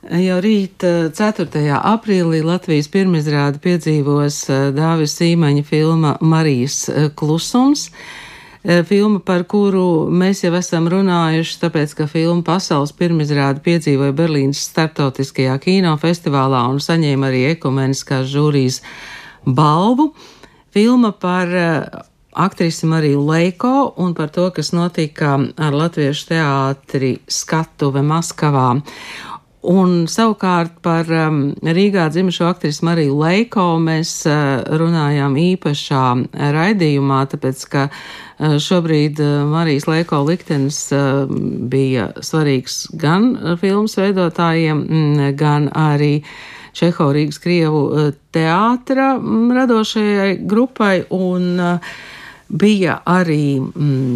Jau rīt 4. aprīlī Latvijas pirmizrāde piedzīvos Dāvis Sīmaņa filma Marijas klusums. Filma, par kuru mēs jau esam runājuši, tāpēc, ka filma pasaules pirmizrāde piedzīvoja Berlīnas starptautiskajā kinofestivālā un saņēma arī ekumeniskās žūrijas balvu. Filma par aktrisi Mariju Leiko un par to, kas notika ar Latviešu teātri Skatuve Maskavā. Un savukārt par Rīgā dzimušo aktrisi Mariju Leiko mēs runājām īpašā raidījumā, tāpēc, ka šobrīd Marijas Leiko liktenis bija svarīgs gan filmas veidotājiem, gan arī Čehova Rīgas Krievu teātra radošajai grupai, un bija arī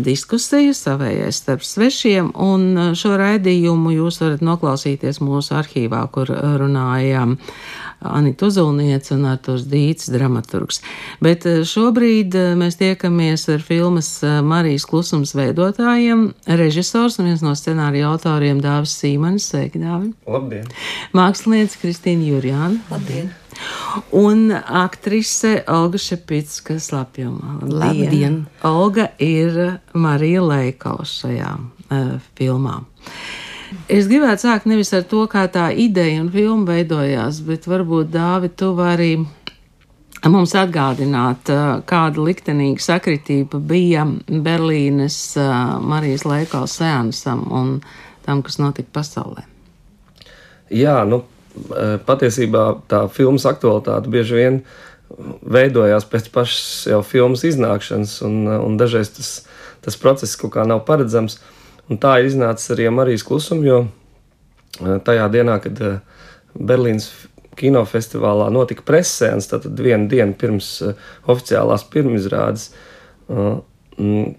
diskusija savējais starp svešiem, un šo raidījumu jūs varat noklausīties mūsu arhīvā, kur runāja Anita Uzulniece un Arturs Dīts, dramaturgs. Bet šobrīd mēs tiekamies ar filmas Marijas klusums veidotājiem, režisors un viens no scenārija autoriem Dāvis Sīmanis. Sveiki, Dāvi! Labdien! Māksliniece Kristīna Jurjāna. Labdien! Un aktrise Olga Šepicka-Slapjumā. Labdien! Olga ir Marija Leiko šajā filmā. Es gribētu sākt nevis ar to, kā tā ideja un filma veidojās, bet varbūt, Dāvi, tu vari mums atgādināt, kāda liktenīga sakritība bija Berlīnes Marijas Leiko seansam un tam, kas notika pasaulē. Jā, patiesībā tā filmas aktualitāte bieži vien veidojās pēc pašas jau filmas iznākšanas, un dažreiz tas process kaut kā nav paredzams. Un tā ir iznācis arī Marijas klusumu, jo tajā dienā, kad Berlīnas kinofestivālā notika presseans, tātad vienu dienu pirms oficiālās pirmizrādes,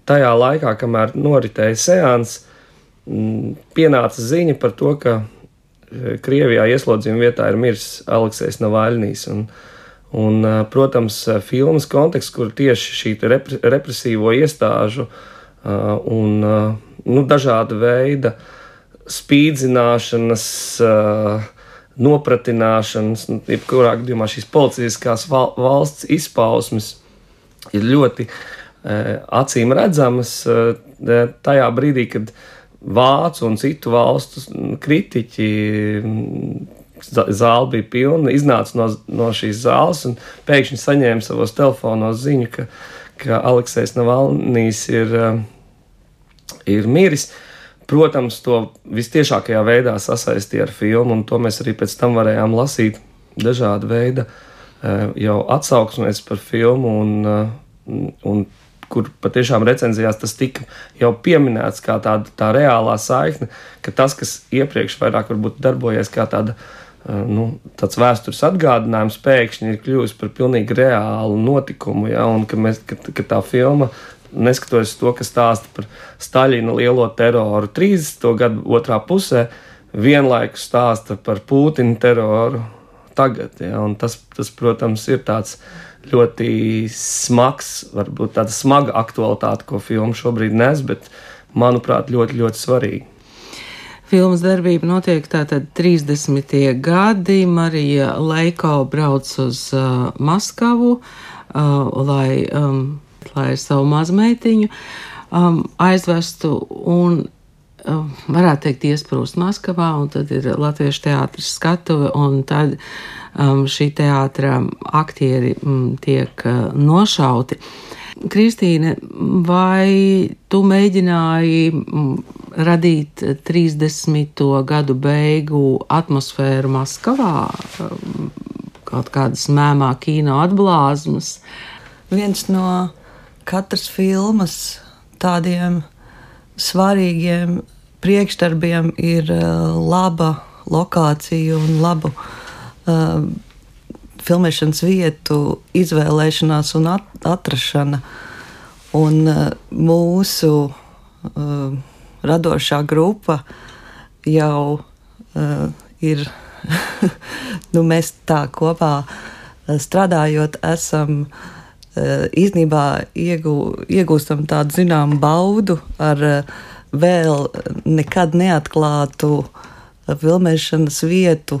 tajā laikā, kamēr noritēja seans, pienāca ziņa par to, ka Krievijā ieslodzījuma vietā ir miris Aleksejs Navaļnijs. Un, protams, filmas konteksts, kur tieši šī represīvo iestāžu un dažāda veida spīdzināšanas, nopratināšanas, jebkurā gadījumā šīs policiskās valsts izpausmes ir ļoti acīm redzamas tajā brīdī, kad vācu un citu valstu kritiķi, zāle bija pilna, iznāca no šīs zāles un pēkšņi saņēma savos telefonos ziņu, ka Aleksejs Navaļnijs ir miris. Protams, to vistiešākajā veidā sasaistīja ar filmu, un to mēs arī pēc tam varējām lasīt dažāda veida jau atsauksmēs par filmu, un kur patiešām recenzijās tas tika jau pieminēts kā tā reālā saikne, ka tas, kas iepriekš vairāk varbūt darbojies kā tāds vēstures atgādinājums, pēkšņi ir kļuvis par pilnīgi reālu notikumu, ja, un ka tā filma, neskatoties to, ka stāsta par Staļina lielo teroru 30. gadu otrā pusē, vienlaikus stāsta par Pūtina teroru tagad, ja, un tas, protams, ir tāds ļoti smags, varbūt tāda smaga aktualitāte, ko filma šobrīd nes, bet, manuprāt, ļoti, ļoti svarīga. Filmas darbība notiek tātad 30. gadi. Marija Leiko brauc uz Maskavu, lai savu mazmeitiņu aizvestu un, varētu teikt, iesprūst Maskavā, un tad ir Latviešu teātris Skatuve, un tad šī teātra aktieri tiek nošauti. Kristīne, vai tu mēģināji radīt 30. gadu beigu atmosfēru Maskavā, kaut kādas mēmā kino atblāzmas? Viens no katras filmas tādiem svarīgiem priekšdarbiem ir laba lokācija un labu filmēšanas vietu izvēlēšanās un atrašana. Un mūsu radošā grupa jau ir, mēs tā kopā strādājot, esam īstenībā iegūstam tādu zināmu baudu ar vēl nekad neatklātu filmēšanas vietu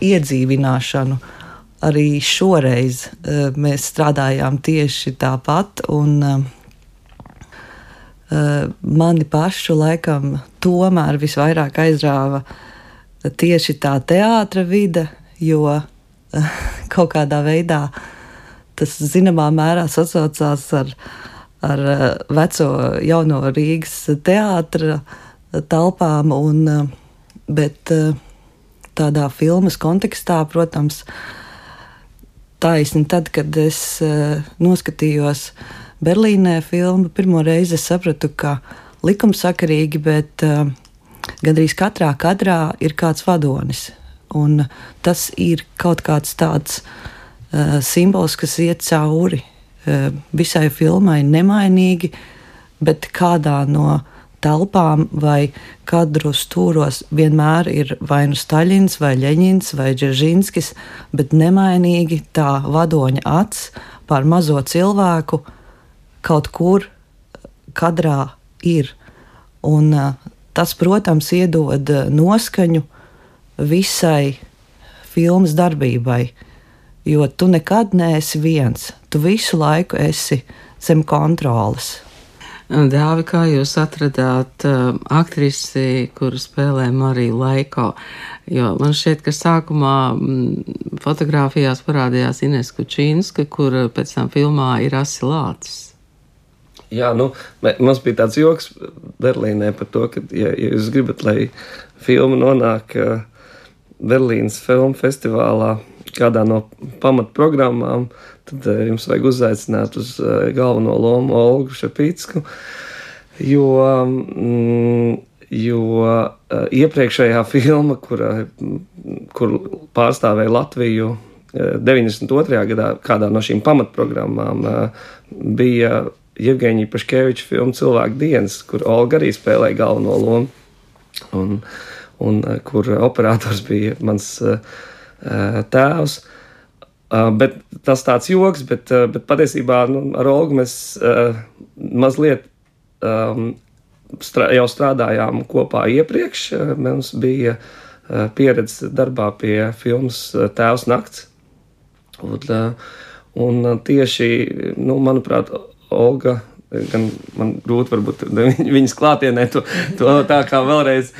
iedzīvināšanu. Arī šoreiz mēs strādājām tieši tāpat, un mani pašu laikam tomēr visvairāk aizrāva tieši tā teātra vide, jo kaut kādā veidā tas zināmā mērā sasaucās ar veco jauno Rīgas teātra telpām, bet tādā filmas kontekstā, protams, taisni tad, kad es noskatījos Berlīnē filmu, pirmo reizi es sapratu, ka likumsakarīgi, bet gandrīz katrā kadrā ir kāds vadonis. Un tas ir kaut kāds tāds simbols, kas iet cauri visai filmai nemainīgi, bet kādā no telpām vai kadru stūros vienmēr ir vai nu Staļins, vai Ļeņins, vai Dzeržinskis, bet nemainīgi tā vadoņa acs pār mazo cilvēku kaut kur kadrā ir. Un tas, protams, iedod noskaņu visai filmas darbībai, jo tu nekad neesi viens. Tu visu laiku esi zem kontroles. Dāvi, kā jūs atradāt aktrisi, kuru spēlē Mariju Laiko? Jo man šķiet, ka sākumā fotogrāfijās parādījās Ines Kučīnska, kur pēc tam filmā ir Asi Lācis. Jā, mums bija tāds joks Berlīnē par to, ka, ja jūs gribat, lai filma nonāk Berlīnas filmu festivālā kādā no pamatprogrammām, tad jums vajag uzaicināt uz galveno lomu Olgu Šepicku, jo iepriekšējā filma, kur pārstāvēja Latviju 92. gadā, kādā no šīm pamatprogrammām, bija Jevgeņija Paškeviča filma Cilvēku dienas, kur Olga arī spēlēja galveno lomu, un kur operators bija mans tēvs. Bet tas tāds joks, bet patiesībā ar Olgu mēs mazliet jau strādājām kopā iepriekš. Mums bija pieredze darbā pie filmas Tēvs nakts. Un tieši, manuprāt, Olga, gan man grūti varbūt viņas klātienē to tā kā vēlreiz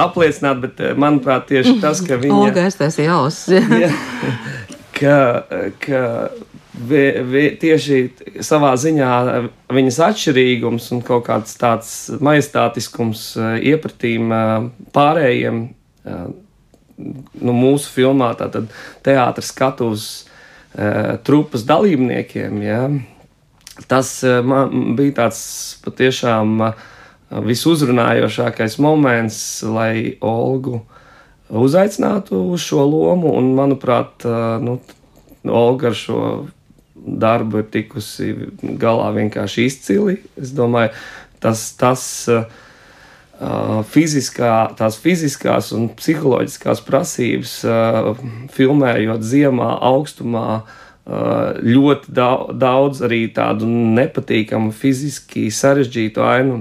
apliecināt, bet manuprāt tieši tas, ka viņa... Olga, es tās jāuz. ka tieši savā ziņā viņas atšķirīgums un kaut kāds tāds majestātiskums iepratīm pārējiem mūsu filmā, tātad teātra skatuves trupas dalībniekiem, ja, tas man bija tāds patiešām visuzrunājošākais moments, lai Olgu uzaicinātu uz šo lomu, un, manuprāt, Olga ar šo darbu ir tikusi galā vienkārši izcili. Es domāju, tās fiziskās un psiholoģiskās prasības, filmējot ziemā, augstumā, ļoti daudz arī tādu nepatīkamu, fiziski sarežģītu ainu.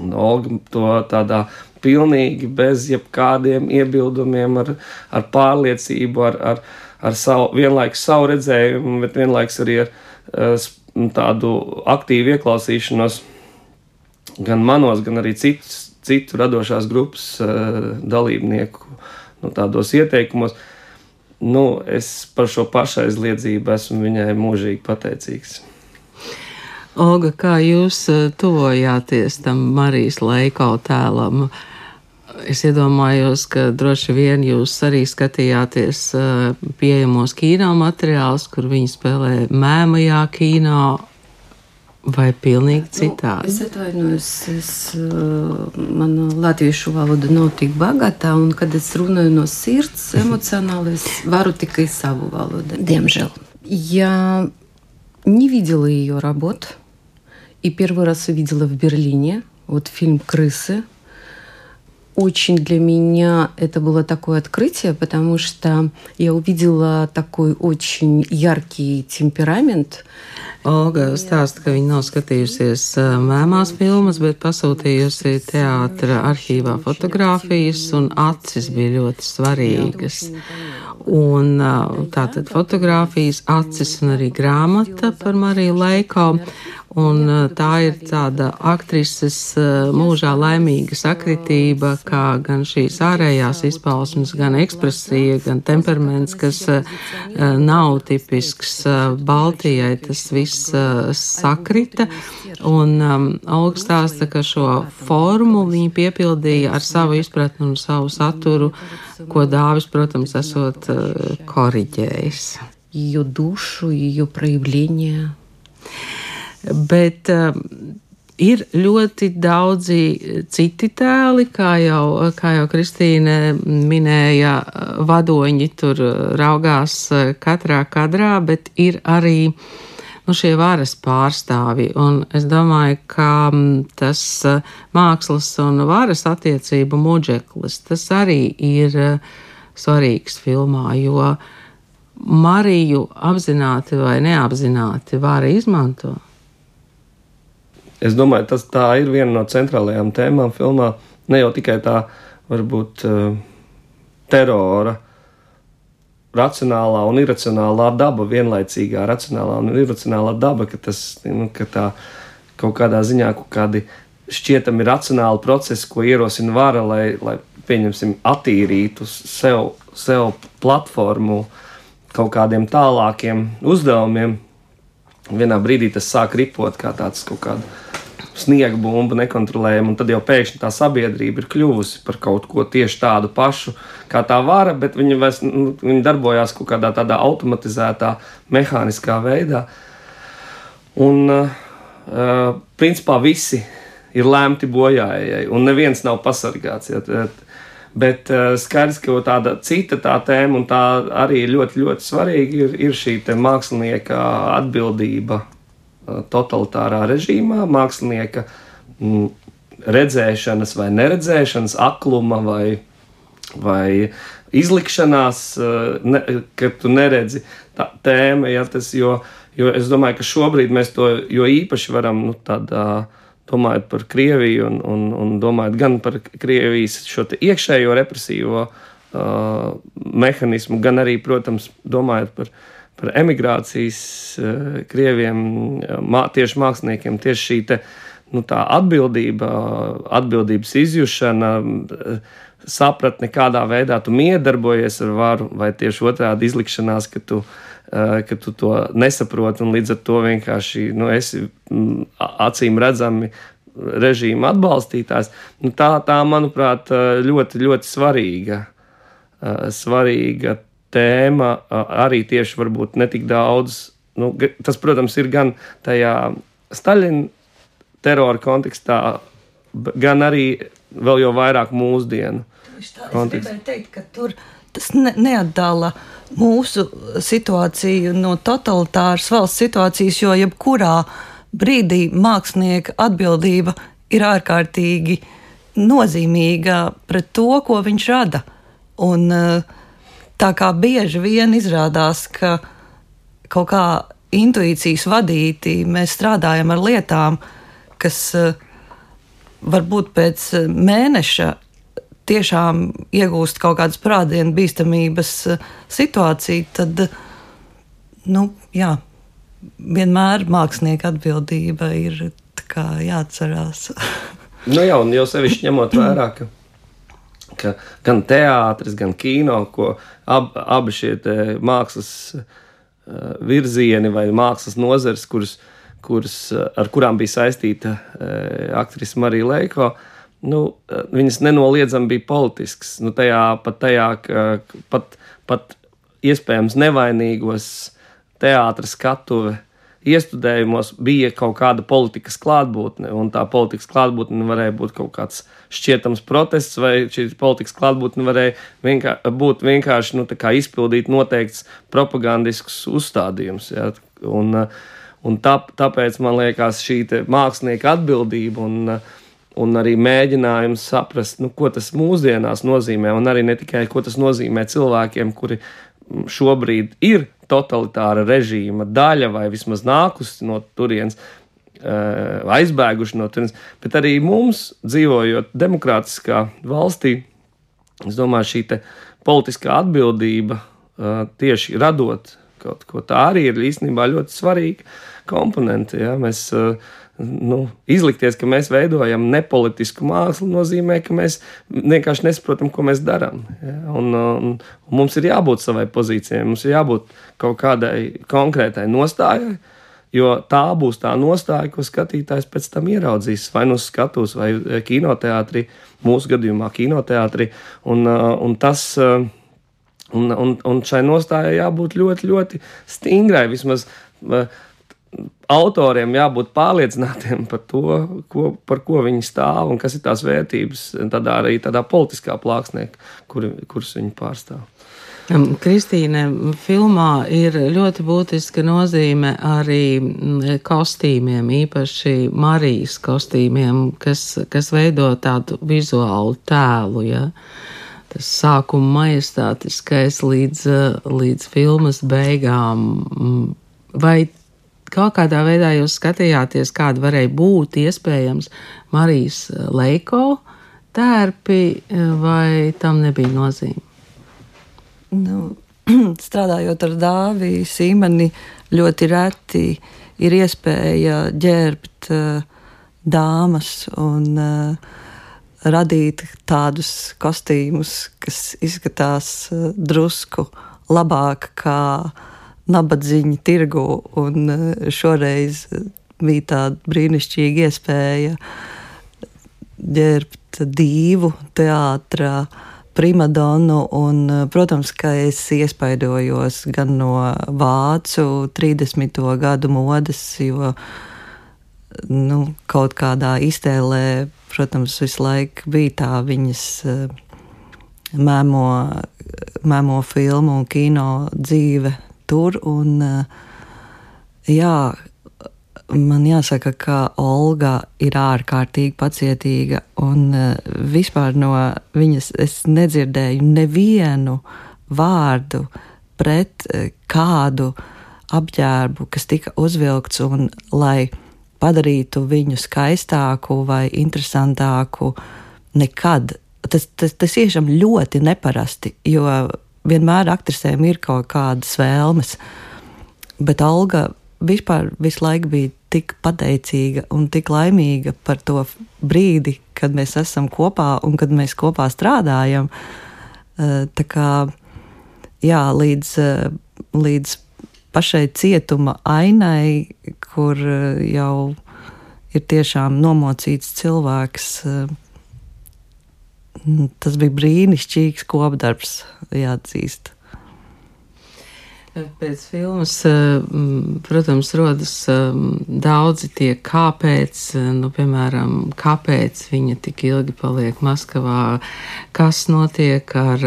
Un Olga to tādā pilnīgi bez jebkādiem iebildumiem, ar pārliecību, ar vienlaikus savu redzējumu, bet vienlaikus arī ar tādu aktīvu ieklausīšanos gan manos, gan arī citu radošās grupas dalībnieku tādos ieteikumos. Es par šo pašaizliedzību esmu viņai mūžīgi pateicīgs. Olga, kā jūs tuvojāties tam Marijas Laiko tēlam? Es iedomājos, ka droši vien jūs arī skatījāties pieejamos kino materiālus, kur viņi spēlē mēmajā kino, vai pilnīgi citādi? Es atvainojos, mana latviešu valoda nav tik bagātā, un kad es runāju no sirds, эмоционально, es varu tikai savu valodu, diemžēл. Я не видела ее работ, и первый раз увидела в Берлине, фильм «Крысы». очень для меня это было такое открытие, потому что я увидела такой очень яркий темперамент. Olga stāsta, ka viņa nav skatījusies mēmās filmas, bet pasūtījusi teātra arhīvā fotogrāfijas, un acis bija ļoti svarīgas. Un tātad fotogrāfijas, acis un arī grāmata par Mariju Leiko. Un tā ir tāda aktrises mūžā laimīga sakritība, kā gan šīs ārējās izpausmes, gan ekspresija, gan temperaments, kas nav tipisks Baltijai, tas viss sakrita. Un Olga stāsta, ka šo formu viņa piepildīja ar savu izpratni un savu saturu, ko Dāvis, protams, esot koriģējis. Ее душу, ее проявление. Bet ir ļoti daudzi citi tēli, kā jau Kristīne minēja, vadoņi tur raugās katrā kadrā, bet ir arī šie varas pārstāvi. Un es domāju, ka tas mākslas un varas attiecību mudžeklis, tas arī ir svarīgs filmā, jo Mariju apzināti vai neapzināti vara izmanto. Es domāju, tā ir viena no centrālajām tēmām filmā. Ne jau tikai tā, varbūt, terora, racionālā un iracionālā daba, vienlaicīgā racionālā un iracionālā daba, ka tā kaut kādā ziņā kaut kādi šķietami racionāli procesi, ko ierosina vara, lai pieņemsim, attīrītu sev platformu kaut kādiem tālākiem uzdevumiem. Vienā brīdī tas sāk ripot kā tāds kaut kāda sniega bumba nekontrolējama, un tad jau pēkšņi tā sabiedrība ir kļuvusi par kaut ko tieši tādu pašu, kā tā vara, bet viņi darbojās kaut kādā tādā automatizētā, mehāniskā veidā. Un, principā, visi ir lemti bojājai, un neviens nav pasargāts. Bet skaidrs, ka tāda cita tā tēma, un tā arī ļoti, ļoti svarīga, ir šī te mākslinieka atbildība totalitārā režīmā, mākslinieka redzēšanas vai neredzēšanas, akluma vai izlikšanās, ka tu neredzi tā tēma, jo es domāju, ka šobrīd mēs to jo īpaši varam, domājot par Krieviju un domājot gan par Krievijas šo te iekšējo represīvo mehanismu, gan arī, protams, domājot par emigrācijas Krieviem, tieši māksliniekiem, tieši šī te, tā atbildības izjušana, sapratne, kādā veidā tu miedarbojies ar varu, vai tieši otrādi izlikšanās, ka tu to nesaproti un līdz ar to vienkārši esi acīm redzami režīma atbalstītājs. Tā, manuprāt, ļoti, ļoti svarīga tēma, arī tieši varbūt netik daudz. Tas, protams, ir gan tajā Staļina terora kontekstā, gan arī vēl jau vairāk mūsdienu kontekstā. Es gribēju teikt, ka tur tas neatdala mūsu situāciju no totalitāras valsts situācijas, jo jebkurā brīdī mākslinieka atbildība ir ārkārtīgi nozīmīga pret to, ko viņš rada. Un tā kā bieži vien izrādās, ka kaut kā intuīcijas vadīti mēs strādājam ar lietām, kas varbūt pēc mēneša tiešām iegūst kaut kādas prātdienu bīstamības situāciju, tad, vienmēr mākslinieka atbildība ir tā kā jāatcerās. Jā, un jau sevišķi ņemot vērā, ka gan teātris, gan kino, ko abi šie mākslas virzieni vai mākslas nozares, ar kurām bija saistīta aktrise Marija Leiko, viņas nenoliedzami bija politisks. Pat iespējams nevainīgos teātra skatuve iestudējumos bija kaut kāda politikas klātbūtne, un tā politikas klātbūtne varēja būt kaut kāds šķietams protests, vai šī politikas klātbūtne varēja būt vienkārši izpildīt noteikts propagandisks uzstādījums. Ja? Un tāpēc man liekas šī mākslinieka atbildība un arī mēģinājums saprast, ko tas mūsdienās nozīmē, un arī ne tikai, ko tas nozīmē cilvēkiem, kuri šobrīd ir totalitāra režīma daļa vai vismaz nākusi no turienes, aizbēguši no turienes, bet arī mums, dzīvojot demokrātiskā valstī, es domāju, šī te politiskā atbildība tieši radot kaut ko, tā arī ir īstenībā ļoti svarīga komponente. Ja? Mēs izlikties, ka mēs veidojam nepolitisku mākslu, nozīmē, ka mēs vienkārši nesaprotam, ko mēs darām. Ja? Un mums ir jābūt savai pozīcijai, mums ir jābūt kaut kādai konkrētai nostājai, jo tā būs tā nostāja, ko skatītājs pēc tam ieraudzīs vai uz skatuves, vai kinoteātrī, mūsu gadījumā kinoteātrī. Un tas... Un šai nostājai jābūt ļoti, ļoti stingrai. Vismaz autoriem jābūt pārliecinātiem par to, par ko viņi stāv un kas ir tās vērtības, arī tādā politiskā plāksnē, kuras viņi pārstāv. Kristīne, filmā ir ļoti būtiska nozīme arī kostīmiem, īpaši Marijas kostīmiem, kas veido tādu vizuālu tēlu, ja? Tas sākuma majestātiskais līdz filmas beigām. Vai kaut kādā veidā jūs skatījāties, kāda varēja būt iespējams Marijas Leiko tērpi, vai tam nebija nozīme? Strādājot ar Dāvi Sīmani, ļoti reti ir iespēja ģērbt dāmas un radīt tādus kostīmus, kas izskatās drusku labāk kā nabadzīņa tirgu, un šoreiz bija tāda brīnišķīga iespēja ģērbt divu teātra primadonu, un, protams, ka es iespaidojos gan no vācu 30. gadu modes, jo kaut kādā iztēlē, protams, visu laiku bija tā viņas mēmo filmu un kino dzīve tur, un man jāsaka, ka Olga ir ārkārtīgi pacietīga, un vispār no viņas es nedzirdēju nevienu vārdu pret kādu apģērbu, kas tika uzvilkts, un lai padarītu viņu skaistāku vai interesantāku, nekad. Tas tiešām ļoti neparasti, jo vienmēr aktrisēm ir kaut kādas vēlmes, bet Olga vispār visu laiku bija tik pateicīga un tik laimīga par to brīdi, kad mēs esam kopā un kad mēs kopā strādājam. Tā kā, līdz pašai cietuma ainai, kur jau ir tiešām nomocīts cilvēks. Tas bija brīnišķīgs kopdarbs, jāatzīst. Pēc filmas, protams, rodas daudzi tie kāpēc, piemēram, kāpēc viņa tik ilgi paliek Maskavā, kas notiek ar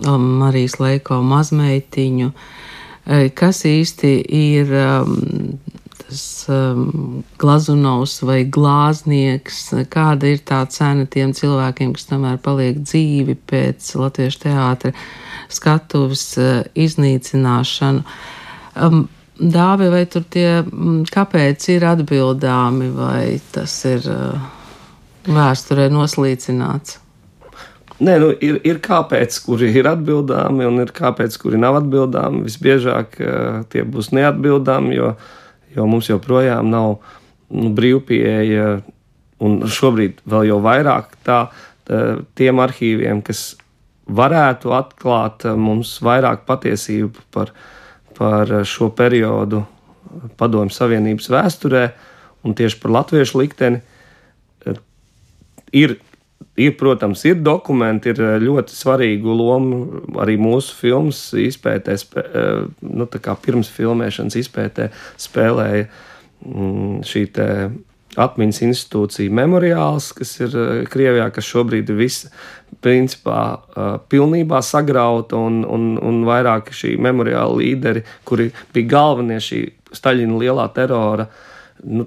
Marijas Leiko mazmeitiņu, kas īsti ir tas Glazunovs vai glāznieks, kāda ir tā cena tiem cilvēkiem, kas tomēr paliek dzīvi pēc Latviešu teātra skatuves iznīcināšanu. Dāvi, vai tur tie kāpēc ir atbildāmi, vai tas ir vēsturē noslīcināts? Nē, ir kāpēc, kuri ir atbildāmi, un ir kāpēc, kuri nav atbildāmi. Visbiežāk tie būs neatbildāmi, jo mums joprojām nav brīvpieeja, un šobrīd vēl jau vairāk tiem arhīviem, kas varētu atklāt mums vairāk patiesību par šo periodu Padomju Savienības vēsturē, un tieši par latviešu likteni. Protams, ir dokumenti, ir ļoti svarīgu lomu arī mūsu filmas izpētē, tā kā pirms filmēšanas izpētē spēlēja šī te atmiņas institūcija Memoriāls, kas ir Krievijā, kas šobrīd ir viss principā pilnībā sagrauta, un vairāk šī Memoriāla līderi, kuri bija galvenie šī Staļina lielā terora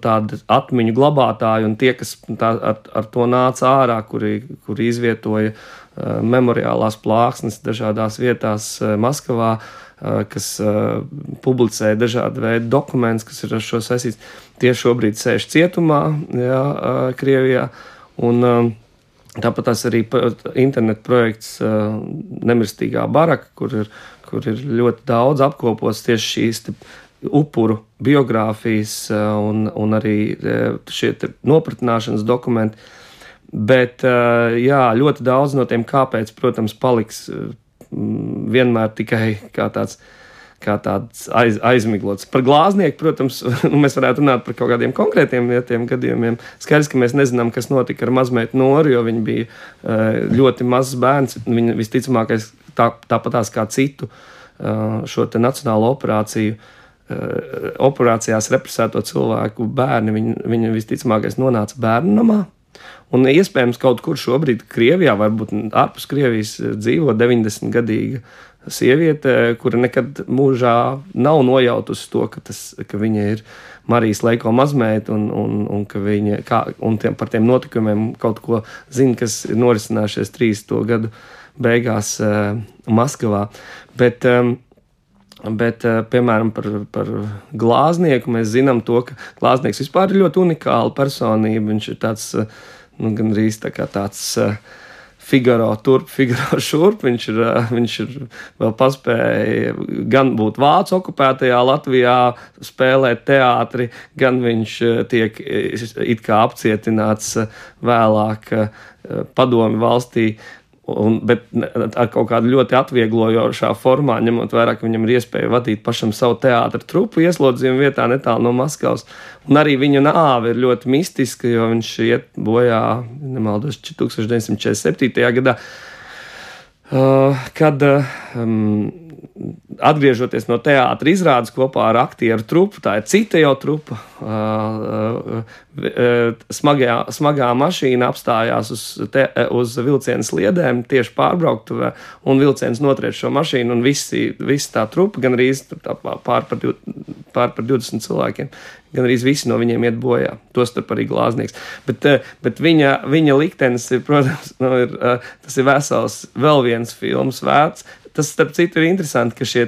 tādi atmiņu glabātāji un tie, kas ar to nāca ārā, kuri izvietoja memoriālās plāksnes dažādās vietās Maskavā, kas publicēja dažādu veidu dokumentus, kas ir ar šo saistīts. Tie šobrīd sēž cietumā, Krievijā, un tāpat tās arī internet projekts Nemirstīgā baraka, kur ir ļoti daudz apkopots tieši šīs upuru biogrāfijas un arī šie nopratināšanas dokumenti. Bet ļoti daudz no tiem kāpēc, protams, paliks vienmēr tikai kā tāds aizmiglots. Par glāznieku, protams, mēs varētu runāt par kaut kādiem konkrētiem gadījumiem. Skaidrs, ka mēs nezinām, kas notika ar mazmeitu Noru, jo viņa bija ļoti mazs bērns. Viņa visticamākais tāpatās kā citu šo te nacionālo operācijās represēto cilvēku bērni, viņa visticamākais nonāca bērnu namā. Un iespējams kaut kur šobrīd Krievijā, varbūt ārpus Krievijas, dzīvo 90-gadīga sieviete, kura nekad mūžā nav nojautusi to, ka viņa ir Marijas Leiko mazmeita un ka viņa par tiem notikumiem kaut ko zina, kas ir norisinājušies 30. gadu beigās Maskavā. Bet piemēram, par glāznieku mēs zinām to, ka glāznieks vispār ir ļoti unikāla personība. Viņš ir tāds, gandrīz tā kā tāds Figaro turp, Figaro šurp. Viņš ir vēl paspēja gan būt vācu okupētajā Latvijā, spēlēt teātri, gan viņš tiek it kā apcietināts vēlāk padomju valstī. Bet ar kaut kādu ļoti atvieglojošā formā, ņemot vērā, ka viņam ir iespēja vadīt pašam savu teātra trupu ieslodzījuma vietā netālu no Maskavas. Un arī viņa nāve ir ļoti mistiska, jo viņš iet bojā, nemaldos, 1947. gadā, kad atgriežoties no teātra izrādes kopā ar aktieru trupu, tā ir cita jau trupa, smagā mašīna apstājās uz vilciena sliedēm tieši pārbrauktuvē, un vilciens notriec šo mašīnu, un visi tā trupa, gan arī pār par 20 cilvēkiem, gan arī visi no viņiem iet bojā, tostarp arī glāznieks. Bet viņa liktenis ir, protams, tas ir vesels vēl viens filmas vērts. Tas, starp citu, ir interesanti, ka šie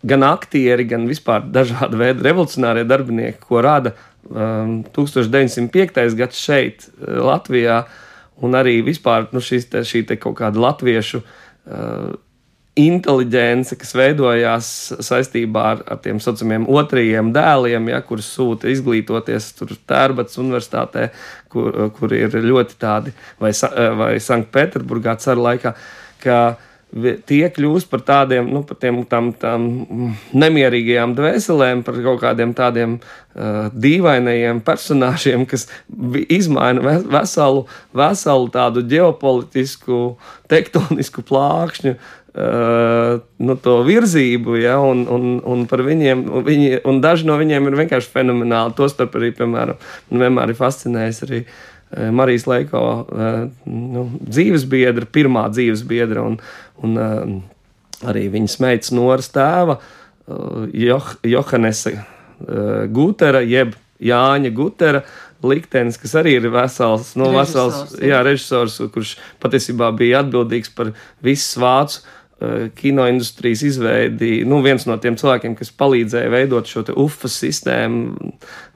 gan aktieri, gan vispār dažāda veida revolucionārie darbinieki, ko rada 1905. gads šeit, Latvijā, un arī vispār šī kaut kāda latviešu inteliģence, kas veidojās saistībā ar tiem saucamiem otrajiem dēliem, kurus sūta izglītoties tur Tērbats universitātē, kur ir ļoti tādi, vai Sanktpēterburgā cara laikā, ka tie kļūst par tādiem, par tām nemierīgajām dvēselēm, par kaut kādiem tādiem dīvainajiem personāžiem, kas izmaina veselu tādu ģeopolitisku, tektonisku plākšņu, to virzību, un par viņiem, un daži no viņiem ir vienkārši fenomenāli. Tostarp arī, piemēram, vienmēr ir fascinējis arī Marijas Leiko dzīvesbiedra, pirmā dzīvesbiedra, un arī viņas meitas Noras tēva, Johannesa Gutera, jeb Jāņa Gutera liktenis, kas arī ir vesels režisors, kurš patiesībā bija atbildīgs par visas vācu kinoindustrijas izveidi, viens no tiem cilvēkiem, kas palīdzēja veidot šo te UFAS sistēmu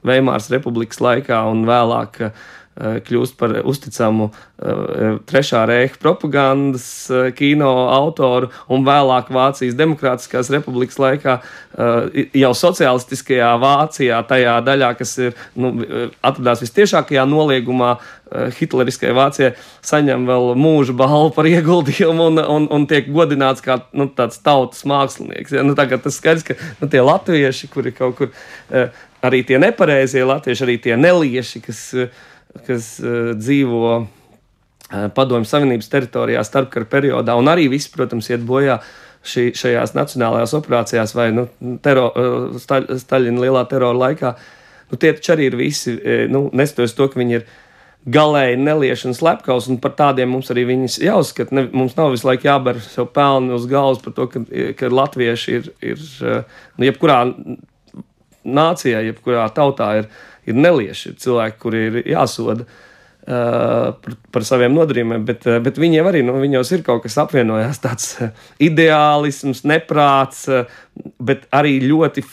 Veimāras republikas laikā un vēlāk kļūst par uzticamu Trešā reiha propagandas kino autoru un vēlāk Vācijas Demokrātiskās republikas laikā jau socialistiskajā Vācijā, tajā daļā, kas ir, atradās vistiešākajā noliegumā hitleriskajai Vācijai, saņem vēl mūža balvu par ieguldījumu un tiek godināts kā tāds tautas mākslinieks. Tagad tas skaidrs, ka tie latvieši, kuri kaut kur, arī tie nepareizie latvieši, arī tie nelieši, kas dzīvo Padomju Savienības teritorijā starpkara periodā, un arī visi, protams, iet bojā šajās nacionālajās operācijās vai Staļina lielā terora laikā. Tie taču arī ir visi, neskatoties to, ka viņi ir galēji nelieši un slepkavs, un par tādiem mums arī viņus jāuzskata. Mums nav visu laiku jāber sev pelni uz galvas par to, ka latvieši ir jebkurā nācijā, jebkurā tautā ir nelieši, ir cilvēki, kuri ir jāsoda par saviem nodarījumiem, bet viņiem arī, viņos ir kaut kas apvienojās, tāds ideālisms, neprāts, bet arī ļoti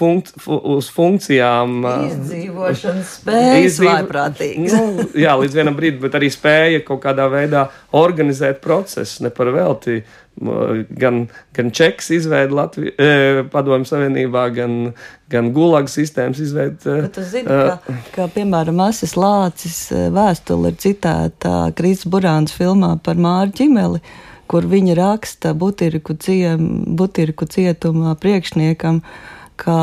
uz funkcijām. Izdzīvošanas spējas vaiprātīgas. Jā, līdz vienam brīdim, bet arī spēja kaut kādā veidā organizēt procesu, ne par velti. Gan Čeks izveida Padomju Savienībā, gan Gulaga sistēmas izveida. Bet tu zini, ka piemēram, Asis Lācis vēstule ir citēta Kristis Burāns filmā par Māru Ķimeli, kur viņa raksta Butiriku cietumā priekšniekam, ka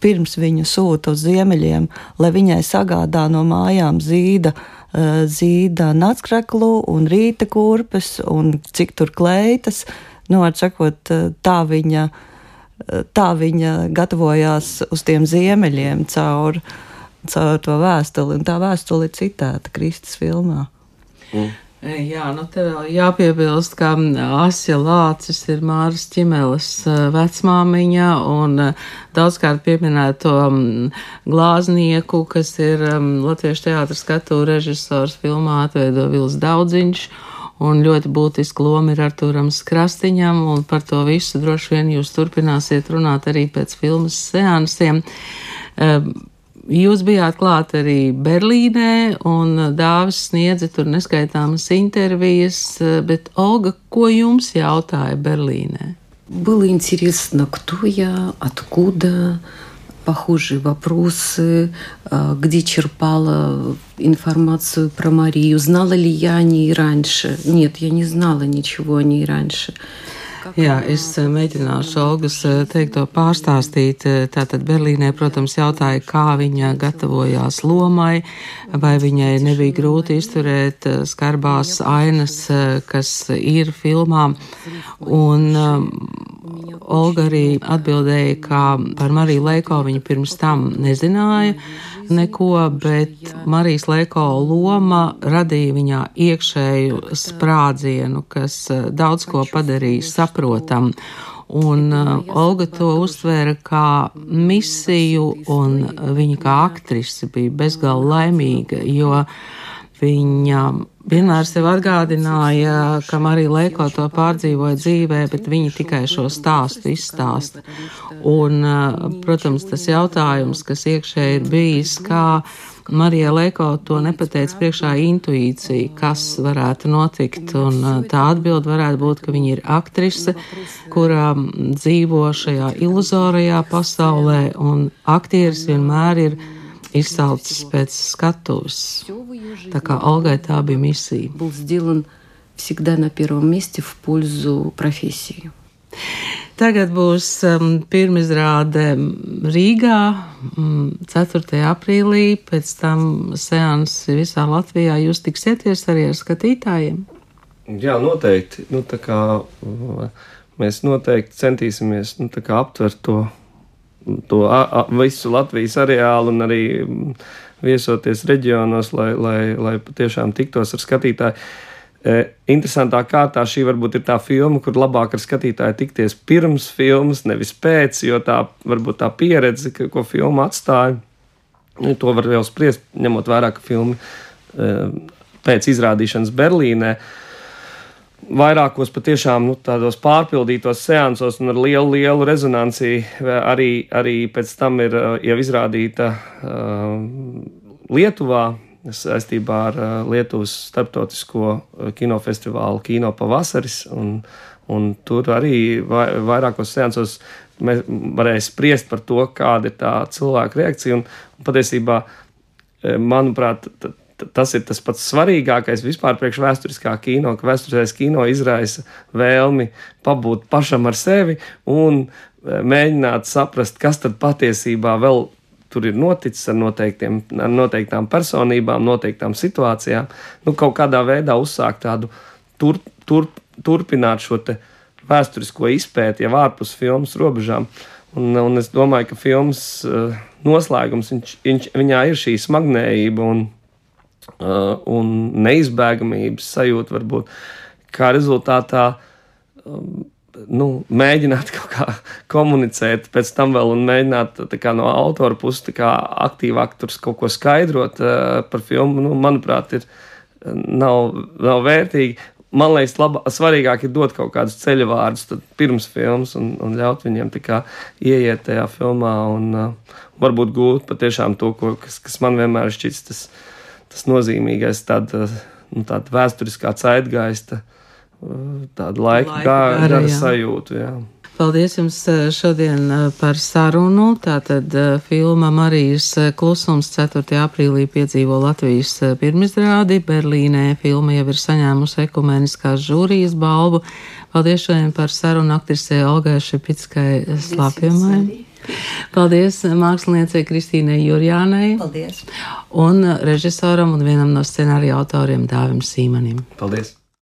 pirms viņu sūta uz ziemeļiem, lai viņai sagādā no mājām zīda nacskreklu un rīta kurpes un cik tur kleitas. Atsakot, tā viņa gatavojās uz tiem ziemeļiem caur to vēstuli, un tā vēstuli ir citēta Kristus filmā. Jā, te vēl jāpiebilst, ka Asja Lācis ir Māras Ķimeles vecmāmiņa un daudzkārt pieminēto glāznieku, kas ir Latviešu teātra skatu režisors filmā atveido Vils Daudziņš, un ļoti būtiska loma ir Artūram Krastiņam, un par to visu droši vien jūs turpināsiet runāt arī pēc filmas seansiem. Jūs bijāt klāt arī Berlīnē, un Dāvis sniedza tur neskaitāmas intervijas, bet Olga, ko jums jautāja Berlīnē? Было интересно, кто я, откуда, похожие вопросы, где черпала информацию про Марию, знала ли я о ней раньше. Нет, я не знала ничего о ней раньше. Jā, es mēģināšu Olgas teikto pārstāstīt. Tātad Berlīnē, protams, jautāja, kā viņa gatavojās lomai, vai viņai nebija grūti izturēt skarbās ainas, kas ir filmā. Un Olga arī atbildēja, ka par Mariju Leiko viņa pirms tam nezināja neko, bet Marijas Leiko loma radīja viņā iekšēju sprādzienu, kas daudz ko padarīja saprotam. Un Olga to uztvēra kā misiju, un viņa kā aktrise bija bezgalīgi laimīga, jo viņa vienmēr sev atgādināja, ka Marija Leiko to pārdzīvoja dzīvē, bet viņa tikai šo stāstu izstāsta. Un, protams, tas jautājums, kas iekšēji ir bijis, kā Marija Leiko to nepateica priekšā intuīcija, kas varētu notikt, un tā atbilde varētu būt, ka viņa ir aktrise, kura dzīvo šajā iluzorajā pasaulē, un aktieris vienmēr ir izsalcis pēc skatuves. Tā kā Olgai tā bija misija. Был сделан всегда на первом месте в пользу профессии. Tagad būs pirmizrāde Rīgā 4. aprīlī, pēc tam seansi visā Latvijā. Jūs tiksieties arī ar skatītājiem? Jā, noteikti. Tā kā mēs noteikti centīsimies aptvert to visu Latvijas areālu un arī viesoties reģionos, lai patiešām tiktos ar skatītāju. Interesantā kārtā šī varbūt ir tā filma, kur labāk ar skatītāju tikties pirms filmas, nevis pēc, jo tā varbūt tā pieredze, ko filma atstāja, to var vēl spriest, ņemot vērā, ka filma pēc izrādīšanas Berlīnē vairākos patiešām tādos pārpildītos seansos un ar lielu rezonanci arī pēc tam ir jau izrādīta Lietuvā saistībā ar Lietuvas starptautisko kinofestivālu Kino pavasaris, un tur arī vairākos seansos mēs varēja spriest par to, kāda ir tā cilvēka reakcija, un patiesībā, manuprāt, tas ir tas pats svarīgākais vispār priekš vēsturiskā kino, ka vēsturiskais kino izraisa vēlmi pabūt pašam ar sevi un mēģināt saprast, kas tad patiesībā vēl tur ir noticis ar noteiktām personībām, noteiktām situācijām. Kaut kādā veidā uzsākt tādu turpināt šo te vēsturisko izpēti jau ārpus filmas robežām. Un es domāju, ka filmas noslēgums, viņā ir šī smagnējība un neizbēgamības sajūta varbūt, kā rezultātā mēģināt kaut kā komunicēt pēc tam vēl un mēģināt tā kā no autora puses tā kā aktīvāk tur kaut ko skaidrot par filmu, manuprāt, nav vērtīgi. Man liekas, svarīgāk ir dot kaut kādus ceļavārdus pirms filmas un ļaut viņiem tā kā ieiet tajā filmā un varbūt gūt patiešām to, kas man vienmēr šķits tas nozīmīgais, tāda vēsturiskā zeitgeista, tāda laika gara sajūtu, jā. Paldies jums šodien par sarunu. Tātad filma Marijas klusums 4. aprīlī piedzīvo Latvijas pirmizrādi. Berlīnē filma jau ir saņēmusi ekumeniskās žūrijas balvu. Paldies šodien par sarunu aktrisei Olgai Šepickai Slapjumai. Paldies māksliniecei Kristīnai Jurjānai. Paldies. Un režisoram un vienam no scenārija autoriem Dāvim Sīmanim. Paldies.